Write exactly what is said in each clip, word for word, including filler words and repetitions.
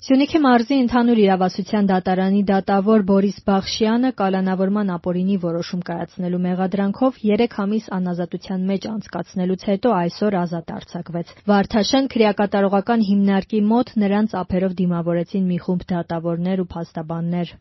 Սյունիքի մարզի ընդհանուր իրավասության դատարանի դատավոր Բորիս Բախշյանը կալանավորման ապօրինի որոշում կայացնելու մեղադրանքով երեք ամիս անազատության մեջ անցկացնելուց հետո այսօր ազատ արձակվեց։ Վարդաշեն քրեակատարողական հիմնարկի մոտ նրան ծափերով դիմավորեցին մի խումբ դատավորներ ու փաստաբաններ։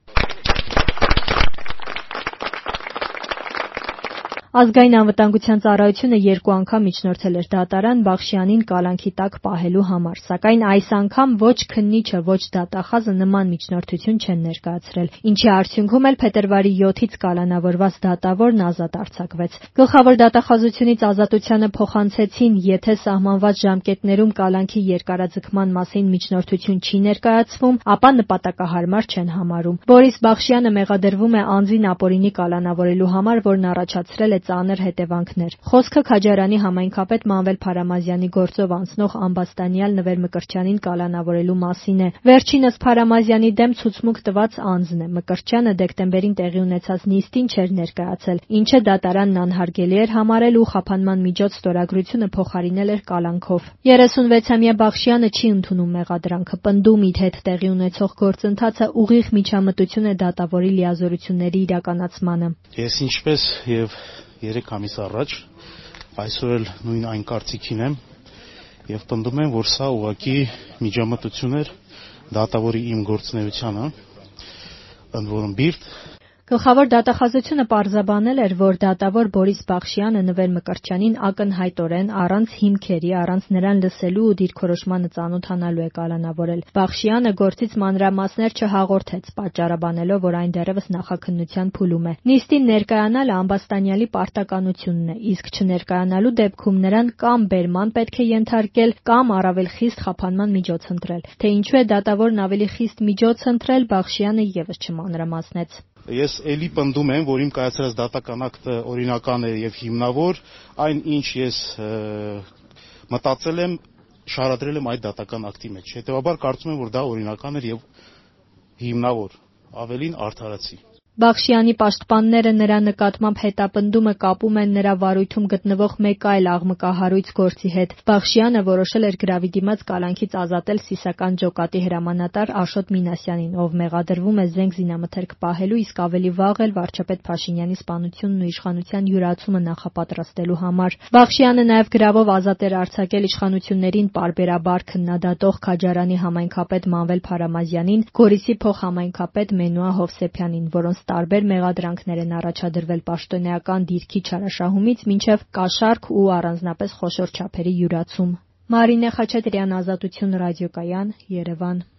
Ազգային անվտանգության ծառայությունը երկու անգամ միջնորդել էր դատարան Բախշյանին կալանքի տակ պահելու համար, սակայն այս անգամ ոչ քննիչը, ոչ դատախազը նման միջնորդություն չեն ներկայացրել, ինչի արդյունքում էլ փետրվարի յոթից կալանավորված դատավորն ազատ արձակվեց։ Գլխավոր դատախազությունից ազատությանը փոխանցեցին, եթե սահմանված ժամկետներում կալանքի երկարաձգման մասին միջնորդություն չի ներկայացվում, ապա նպատակահարմար չեն համարում։ Բորիս Բախշյանը մեղադրվում է անձին ապօրինի կալանավորելու համար, որն առաջացրել է ծանր հետևանքներ։ Խոսքը Քաջարանի համայնքապետ Մանվել Փարամազյանի գործով անցնող ամբաստանյալ Նվեր Մկրտչյանին կալանավորելու մասին է։ Վերջինս Փարամազյանի դեմ ցուցմունք տված անձն է։ Մկրտչյանը դեկտեմբերին տեղի ունեցած նիստին չէր ներկայացել, ինչը դատարանն անհարգելի էր համարել ու խափանման միջոց ստորագրությունը փոխարինել էր կալանքով։ երեսունվեցամյա Բախշյանը չի ընդունում մեղադրանքը, պնդում իր հետ տեղի ունեցող գործընթացը ուղիղ միջամտություն է դատավորի լիազորությունների իրականացմանը։ Ես ինչպես եւ երեք ամիս առաջ այսօր էլ նույն այն կարծիքին եմ եւ պնդում եմ, որ սա ուղղակի միջամտություն էր դատավորի իմ գործունեությանը, ընդ որում բիրտ։ Գլխավոր դատախազությունը պարզաբանել էր, որ դատավոր Բորիս Բախշյանը Նվեր Մկրտչյանին ակնհայտորեն առանց հիմքերի, առանց նրան լսելու ու դիրքորոշմանը ծանոթանալու է կալանավորել։ Բախշյանը գործից մանրամասներ չհաղորդեց, պատճառաբանելով, որ այն դեռևս նախաքննության փուլում է։ Նիստին ներկայանալը ամբաստանյալի պարտականությունն է, իսկ չներկայանալու դեպքում նրան կամ բերման պետք է ենթարկել, կամ առավել խիստ խափանման միջոց ընտրել։ Թե ինչու է դատավորն ավելի խիստ միջոց ընտրել, Բախշյանը ևս չմանրամասնեց։ Ես էլի պնդում եմ, որ իմ կայացրած դատական ակտը օրինական է եւ հիմնավոր, այն ինչ ես մտածել եմ, շարադրել եմ այդ դատական ակտի մեջ։ Հետեւաբար կարծում եմ, որ դա օրինական էր եւ հիմնավոր, ավելին արդարացի։ Բախշյանի պաշտպանները նրա նկատմամբ հետապնդումը կապում են նրա վարույթում գտնվող մեկ այլ աղմկահարույց գործի հետ։ Բախշյանը որոշել էր գրավի դիմաց կալանքից ազատել սիսական ջոկատի հրամանատար Աշոտ Մինասյանին, ով մեղադրվում է զենք զինամթերք պահելու, իսկ ավելի վաղ էլ վարչապետ Փաշինյանի սպանությունն ու իշխանության յուրացումը նախապատրաստելու համար։ Բախշյանը նաև գրավով ազատ էր արձակել իշխանություններին պարբերաբար քննադատող Քաջարանի համայնքապետ Մանվել Փարամազյանին, Գորիսի փոխհամայնքապետ Մենուա Հովսեփյանին, որոնց տարբեր մեղադրանքներ են առաջադրվել պաշտոնեական դիրքի չարաշահումից մինչև կաշառք ու առանձնապես խոշոր չափերի յուրացում։ Մարինե Խաչատրյան, Ազատություն ռադիոկայան, Երևան։